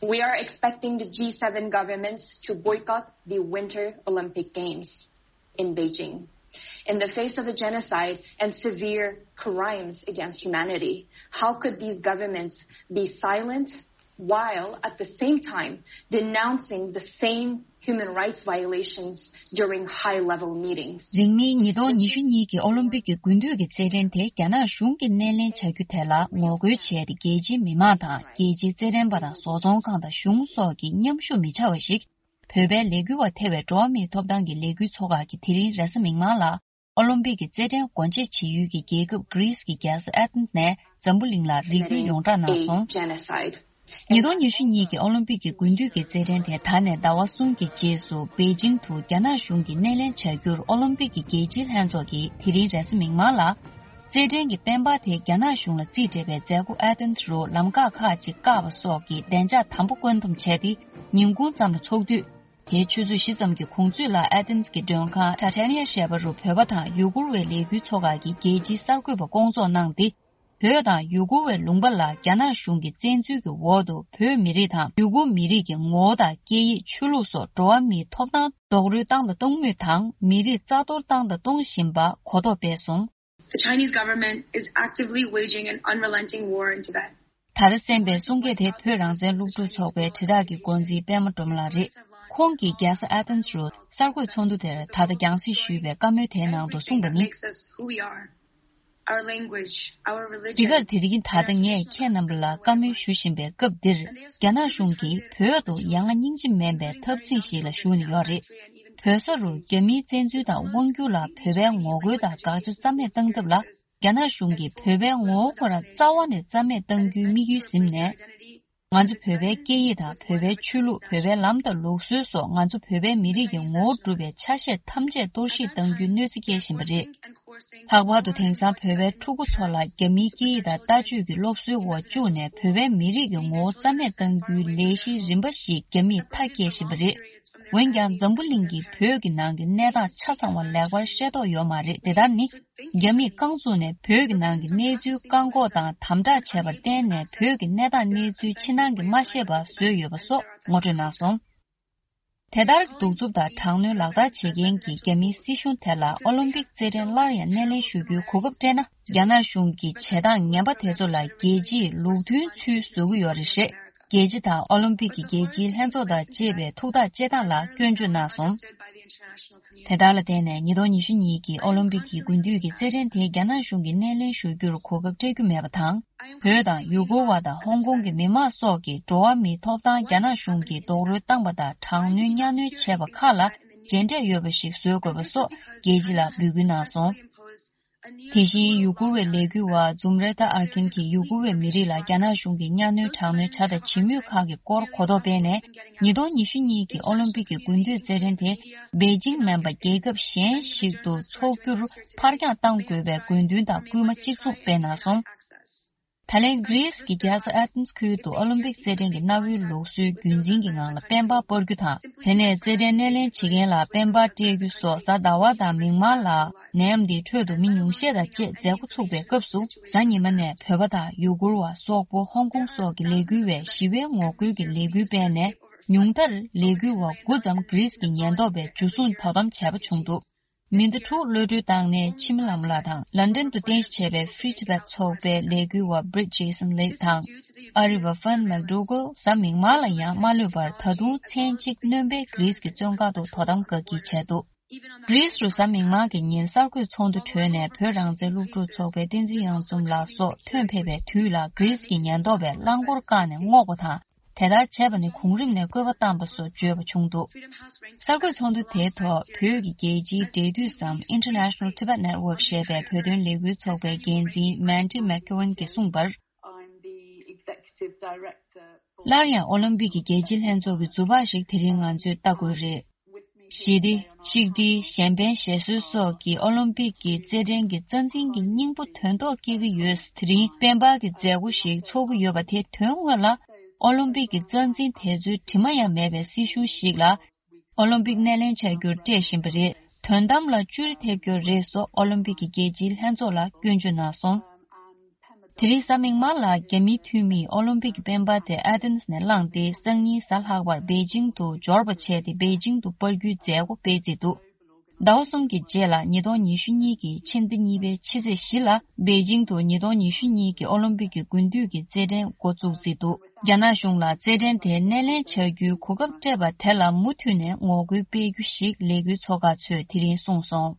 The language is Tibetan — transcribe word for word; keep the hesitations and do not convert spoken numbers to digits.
We are expecting the G seven governments to boycott the Winter Olympic Games in Beijing. In the face of a genocide and severe crimes against humanity, how could these governments be silent while at the same time denouncing the same human rights violations during high-level meetings? རིང་མིན་ཉིས་སྟོང་ཉི་ཤུ་གཉིས་ཀྱི་ཨོ་ལིམ་པིག་གི་དགུན་དུས་ཀྱི་རྩེད་འགྲན་དེ་རྒྱ་ནག་གཞུང་གིས་སྣེ་ལེན་བྱ་རྒྱུ་དེ་ལ་ངོ་རྒོལ་བྱས་ཏེ། རྒྱལ་སྤྱིའི་མི་མང་དང་རྒྱལ་སྤྱིའི་རྩེད་འགྲན་པ་དང་བཟོ་ཚོང་ཁང་དང་གཞུང་སོགས་ཀྱིས་མཉམ་ཞུགས་མི་བྱ་བ་ཞིག་བོད་པའི་ལས་འགུལ་བ་ཐེ་བའི་འགྲོ་བ་མིའི་ཐོབ་ཐང་གི་ལས་འགུལ་ཚོགས་ཁག་གིས་དེ་རིང་རེས་གཟའ་མིག་དམར་ལ། ཨོ་ལིམ་པིག་གི་རྩེད་འགྲན་སྒོ་འབྱེད་བྱེད་ཡུལ་གྱི་རྒྱལ་ཁབ་གྷི་རིས་ཀྱི་རྒྱལ་ས་ཨེ་ཐེན་ནས་འཛམ་བུ་གླིང་ལ་རེ་སྐུལ་ཡོངས་བསྒྲགས་གནང་སོང་། ཉིས་སྟོང་ཉི་ཤུ་གཉིས་ཀྱི་ཨོ་ལིམ་པིག་གི་དགུན་དུས་ཀྱི་རྩེད་འགྲན་དེ་ད་ནས་ཟླ་བ་གསུམ་གྱི་རྗེས་སུ་པེ་ཅིང་དུ་རྒྱ་ནག་གཞུང་གིས་སྣེ་ལེན་བྱ་རྒྱུར་ཨོ་ལིམ་པིག་གི་རྒྱལ་སྤྱིའི་ལྷན་ཚོགས་ཀྱིས་དེ་རིང་རེས་གཟའ་མིག་དམར་ལ། རྩེད་འགྲན་གྱི་སྤེན་པ་དེ་རྒྱ་ནག་གཞུང་ལ་རྩིས་སྤྲད་པའི་མཛད་སྒོ་ཨེ་ཐེན་རུ་ལམ་ཁ་ཁག་ཅིག་བཀག་པ་སོགས་ཀྱི་བདེ་འཇགས་དམ་པོ་བཀོད་འདོམས་བྱས་ཏེ། ཉིན་གུང་ཙམ་ལ་ཚོགས་དུས། དེའི་ཆུ་ཚོད་བཞི་ཙམ་གྱི་གུང་ཚོད་ལ་ཨེ་ཐེན་གྱི་མགྲོན་ཁང་ཊ་ཊེ་ནི་ཡ་ཞེས་པ་རུ་བོད་པ་དང་ཡུ་གུར་བའི་ལས་འགུལ་ཚོགས་ཁག་གི་རྒྱལ་སྤྱིའི་གསར་འགོད་པ་སྐོང་ཚོགས་གནང་སྟེ། བོད་དང་ཡུ་གུར་བའི་ལུང་པ་ལ་རྒྱ་ནག་གཞུང་གི་བཙན་འཛུལ་གྱི་འོག་ཏུ་བོད་མི་རིགས་དང་ཡུ་གུར་མི་རིགས་ཀྱི་ངོ་བོ་དང་སྐད་ཡིག་ཆོས་ལུགས་སོགས་འགྲོ་བ་མིའི་ཐོབ་ཐང་རྡོག་རོལ་བཏང་དང་གཏོང་མུས་དང་། མི་རིགས་རྩ་གཏོར་བཏང་དང་གཏོང་བཞིན་པ་གོ་རྟོགས་སྤེལ་སོང་། The Chinese government is actively waging an unrelenting war in Tibet. ད་ལྟ་གསན་པའི་གསུང་སྐད་དེ་བོད་རང་བཙན་སློབ་ཕྲུག་ཚོགས་པའི་དྲིལ་བསྒྲགས་ཀྱི་འགོ་འཛིན་པད་མ་སྒྲོལ་མ་ལགས་རེད། ཁོང་གིས་རྒྱལ་ས་ཨ་ཐེན་རུ་གསར་འགོད་ཚོགས་འདུ་དེར་ད་ལྟ་རྒྱང་སྲིང་ཞུས་པའི་བཀའ་མོལ་དེའི་ནང་དུ་གསུངས་པ་ནི། Makes us who we are. Our language, our religion. འདི་གར་དེ་རིང་ད་ལྟ་ངས་ཁྱེད་རྣམ་པ་ལ་བཀའ་མོལ་ཞུ་བཞིན་པའི་སྐབས་འདིར། རྒྱ་ནག་གཞུང་གིས་བོད་དུ་ཡ་ང་སྙིང་རྗེ་མེད་པའི་འཐབ་འཛིང་ཞིག་ལ་ཞུགས་ནས་ཡོད་རེད། བོད་ས་རུ་རྒྱ་མིའི་བཙན་འཛུལ་དང་དབང་སྒྱུར་ལ་བོད་པའི་ངོ་རྒོལ་དང་དགག་བྱ་རྩ་མེད་བཏང་ཐབས་ལ། རྒྱ་ནག་གཞུང་གིས་བོད་པའི་ངོ་བོ་ཁོ་རང་རྩ་བ་ནས་རྩ་མེད་གཏང་རྒྱུའི་དམིགས་ཡུལ་ཟིན་ནས། ང་ཚོ་བོད་པའི་སྐད་ཡིག་དང་བོད་པའི་ཆོས་ལུགས། བོད་པའི་ལམ་དང་ལུགས་སྲོལ་སོགས་ང་ཚོ་བོད་པའི་མི་རིགས་ཀྱི་ངོ་བོ་གྲུབ་པའི་ཆ་ཤས་ཐམས་ཅད་གཏོར་བཤིག་གཏང་རྒྱུའི་གནོད་འཚེ་སྐྱེལ་བཞིན་པ་རེད། ལྷག་པར་དུ་དེང་སང་བོད་པའི་ཕྲུ་གུ་ཚོ་ལ་རྒྱ་མིའི་སྐད་ཡིག་དང་ལྟ་སྤྱོད་ཀྱི་སློབ་གསོའི་འོག་བཅུག་ནས་བོད་པའི་མི་རིགས་ཀྱི་ངོ་བོ་རྩ་མེད་གཏང་རྒྱུའི་ལས་གཞི་རིམ་པ་ཞིག་རྒྱ་མིས་མཐའ་སྐྱེལ་བཞིན་པ་རེད། འོན་ཀྱང་འཛམ་བུ་གླིང་གིས་བོད་ཀྱི་ནང་གི་གནས་སྟངས་ཆ་ཚང་བ་ལེགས་པར་ཤེས་རྟོགས་ཡོད་མ་རེད། དེ་ལྟར་ནི། རྒྱ་མིས་རྐང་བཙུགས་ནས་བོད་ཀྱི་ནང་གི་གནས་ཚུལ་བཀག་འགོག་དང་དམ་དྲག་བྱས་པར་བརྟེན་ནས། བོད་ཀྱི་གནས་སྟངས་གནས་ཚུལ་ཕྱི་ནང་གི་མ་ཤེས་པ་བཟོས་ཡོད་པ་སོགས་ངོ་སྤྲོད་གནང་སོང་། དེ་ལྟར་གདུག་རྩུབ་དང་དྲག་གནོན་ལག་བསྟར་བྱེད་མཁན་གྱི་རྒྱ་མིའི་སྲིད་གཞུང་དེ་ལ་ཨོ་ལིམ་པིག་རྩེད་འགྲན་སླར་ཡང་སྣེ་ལེན་ཞུ་རྒྱུའི་གོ་སྐབས་སྤྲད་ན། རྒྱ་ནག་གཞུང་གི་བྱེད་སྟངས་ངན་པ་དེ་ཚོ་ལ་རྒྱལ་སྤྱིས་ལུགས་མཐུན་ཚུལ་བཟོ་གི་ཡོད་རེད། རྒྱལ་སྤྱི་དང་ཨོ་ལིམ་པིག་གི་རྒྱལ་སྤྱིའི་ལྷན་ཚོགས་དང་བཅས་པའི་ཐུགས་ཐག་བཅད་སྟངས་ལ་སྐྱོན་བརྗོད་གནང་སོང་། དེ་ལྟར་ལ་བརྟེན་ནས་ཉིས་སྟོང་ཉི་ཤུ་གཉིས་ཀྱི་ཨོ་ལིམ་པིག་གི་དགུན་དུས་ཀྱི་རྩེད་འགྲན་དེ་རྒྱ་ནག་གཞུང་གིས་སྣེ་ལེན་ཞུ་རྒྱུར་གོ་སྐབས་སྤྲད་རྒྱུ་མེད་པ་དང་། བོད་དང་ཡུ་གུར་བ་དང་ཧོང་ཀོང་གི་མི་མང་སོགས་ཀྱི་འགྲོ་བ་མིའི་ཐོབ་ཐང་རྒྱ་ནག་གཞུང་གིས་རྡོག་རོལ་བཏང་པ་དང་། དྲག་གནོན་གཉའ་གནོན་བྱས་པ་ཁག་ལ་མཇལ་འཕྲད་ཡོད་པ་ཞིག་བཟོ་དགོས་པ་སོགས་རྒྱལ་སྤྱི་ལ་འབོད་སྐུལ་གནང་སོང་། དེ་བཞིན་ཡུ་གུར་བའི་ལས་འགུལ་བ་ཛུམ་རེ་ཐ་ཨར་ཁིན་གྱིས་ཡུ་གུར་བའི་མི་རིགས་ལ་རྒྱ་ནག་གཞུང་གིས་གཉའ་གནོན་དྲག་གནོན་བྱ་དང་བྱེད་མུས་ཁག་གི་སྐོར་གོ་རྟོགས་སྤེལ་ནས། ཉིས་སྟོང་ཉི་ཤུ་གཉིས་ཀྱི་ཨོ་ལིམ་པིག་གི་དགུན་དུས་རྩེད་འགྲན་དེ་པེ་ཅིང་མིན་པ་རྒྱལ་ཁབ་གཞན་ཞིག་ཏུ་འཚོགས་རྒྱུར་ཕར་འགྱངས་གཏང་དགོས་པའི་དགོས་འདུན་དང་སྐུལ་མ་གཅིག་མཚུངས་སྤེལ་གནང་སོང་། ད་ལན་གྷི་རིས་ཀྱི་རྒྱལ་ས་ཨེ་ཐེན་ཁུལ་དུ་ཨོ་ལིམ་པིག་རྩེད་འགྲན་གྱི་གནའ་བོའི་ལུགས་སྲོལ་རྒྱུན་འཛིན་གྱི་ངང་ལ་སྤེན་པ་སྤར་རྒྱུ་དང་། དེ་ནས་རྩེད་འགྲན་སྣེ་ལེན་བྱེད་མཁན་ལ་སྤེན་པ་སྤྲད་རྒྱུ་སོགས་གཟའ་ཟླ་བ་དང་མིག་དམར་ལ་ནེམ་དེའི་ཁྲོད་དུ་མི་ཉུང་ཤས་དང་བཅས་མཛད་སྒོ་ཚུགས་པའི་སྐབས་སུ། གཟའ་ཉི་མ་ནས་བོད་པ་དང་ཡུ་གུར་བ། སོག་པོ། ཧོང་ཀོང་སོགས་ཀྱི་ལས་འགུལ་བས་ཞི་བའི་ངོ་རྒོལ་གྱི་ལས་འགུལ་སྤེལ་ནས། ཉུང་མཐར་ལས་འགུལ་བ་དགུ་ཙམ་གྷི་རིས་ཀྱི་ཉེན་རྟོག་པས་འཇུ་བཟུང་དོ་དམ་བྱས་པ་བྱུང་འདུག་མི་ཟླ་དྲུག་གློད་གྲོལ་བཏང་ནས་འཆི་མེད་ལྷ་མོ་ལགས་དང་། ལན་ཌན་དུ་རྟེན་གཞི་བྱས་པའི་Free Tibet་ཚོགས་པའི་ལས་འགུལ་བ་Britt Jason Lake་དང་། ཨ་རི་བ་Fern McDougall་གཟའ་མིག་དམར་ལ་ཡང་མ་ལུས་པར། ད་དུང་མཚན་གཅིག་སྣོན་པའི་གྷི་རིས་ཀྱི་བཙོན་ཁང་དུ་དོ་དམ་དགའ་སྐྱིད་བྱས་འདུག་གྷི་རིས་རུ་གཟའ་མིག་དམར་གྱི་ཉིན་གསར་འགོད་ཚོགས་འདུ་གྲོལ་ནས། བོད་རང་བཙན་སློབ་ཕྲུག་ཚོགས་པའི་བསྟན་འཛིན་གཡང་འཛོམས་ལགས་སོགས་ཐོན་ཕེབས་པའི་དུས་ལ། གྷི་རིས་ཀྱི་ཉེན་རྟོག་པས་རླངས་འཁོར་བཀག་ནས་སྔོག་པ་དང་། དེ་ལྟར་བྱས་པ་ནི་གོང་རིམ་ནས་བཀོད་པ་བཏང་པ་སོགས་བརྗོད་པ་བྱུང་འདུག་གསར་འགོད་ཚོགས་འདུ་དེའི་ཐོག་བོད་ཀྱི་རྒྱལ་སྤྱིའི་འབྲེལ་མཐུད་སམ། International Tibet Network་ཞེས་པའི་བོད་དོན་ལས་འགུལ་ཚོགས་པའི་འགན་འཛིན་Mandy McEwen་གྱིས་གསུངས་པར། I'm the executive director for སླར་ཡང་ཨོ་ལིམ་པིག་གི་རྒྱལ་སྤྱིའི་ལྷན་ཚོགས་ཀྱི་ཛུ་བག་ཞིག་དེ་རིང་ང་ཚོས་ལྟ་དགོས་རེད། ཞི་བདེ། གཅིག་སྒྲིལ། གཞན་ཕན་ཞབས་སོར་སོགས་ཀྱི་ཨོ་ལིམ་པིག་གི་རྩེད་འགྲན་གྱི་རྩ་འཛིན་གྱི་སྙིང་པོ་དོན་ཐོག་སྐྱེལ་གྱི་ཡོད། དེ་རིང་སྤེན་པ་གི་མཛད་སྒོ་ཞིག་ཚོགས་ཀྱི་ཡོད་པ་དེ་དོན་དངོས་ལ་ཨོ་ལིམ་པིག་གི་རྩ་འཛིན་དེ་ཚོའི་དྲི་མ་ཡང་མེད་པའི་སྲིད་གཞུང་ཞིག་ལ་ཨོ་ལིམ་པིག་སྣེ་ལེན་བྱ་རྒྱུར་སྤྲད་བཞིན་པ་རེད། དོན་དམ་ལ་བཅུ་རེ་ཐེབས་རྒྱུ་རེད་སོགས་ཨོ་ལིམ་པིག་གི་རྒྱལ་སྤྱིའི་ལྷན་ཚོགས་ལ་སྐྱོན་བརྗོད་གནང་སོང་། དེ་རིང་གཟའ་མིག་དམར་ལ་རྒྱ་མིའི་འཐུས་མིས་ཨོ་ལིམ་པིག་གི་སྤེན་པ་དེ་ཨ་ཐེན་ནས་བླངས་ཏེ། སང་ཉིན་གཟའ་ལྷག་པར་པེ་ཅིང་དུ་འབྱོར་བ་བྱས་ཏེ། པེ་ཅིང་དུ་སྤར་རྒྱུའི་མཛད་སྒོ་སྤེལ་རྩིས་འདུག་ཟླ་བ་གསུམ་གྱི་རྗེས་ལ་ཉིས་སྟོང་ཉི་ཤུ་གཉིས་ཀྱི་ཕྱི་ཟླ་གཉིས་པའི་ཕྱི་ཚེས་བཞི་ལ་པེ་ཅིང་དུ་ཉིས་སྟོང་ཉི་ཤུ་གཉིས་ཀྱི་ཨོ་ལིམ་པིག་གི་དགུན་དུས་ཀྱི་རྩེད་འགྲན་འགོ་བཙུགས་རྩིས་འདུག་རྒྱ་ནག་གཞུང་ལ་རྩེད་འགྲན་དེ་སྣེ་ལེན་བྱ་རྒྱུའི་གོ་སྐབས་སྤྲད་པ་དེ་ལ་མུ་མཐུད་ནས་ངོ་རྒོལ་སྤེལ་རྒྱུ་ཞིག་ལས་འགུལ་ཚོགས་ཁག་ཚོས་དེ་རིང་གསུངས་སོང་།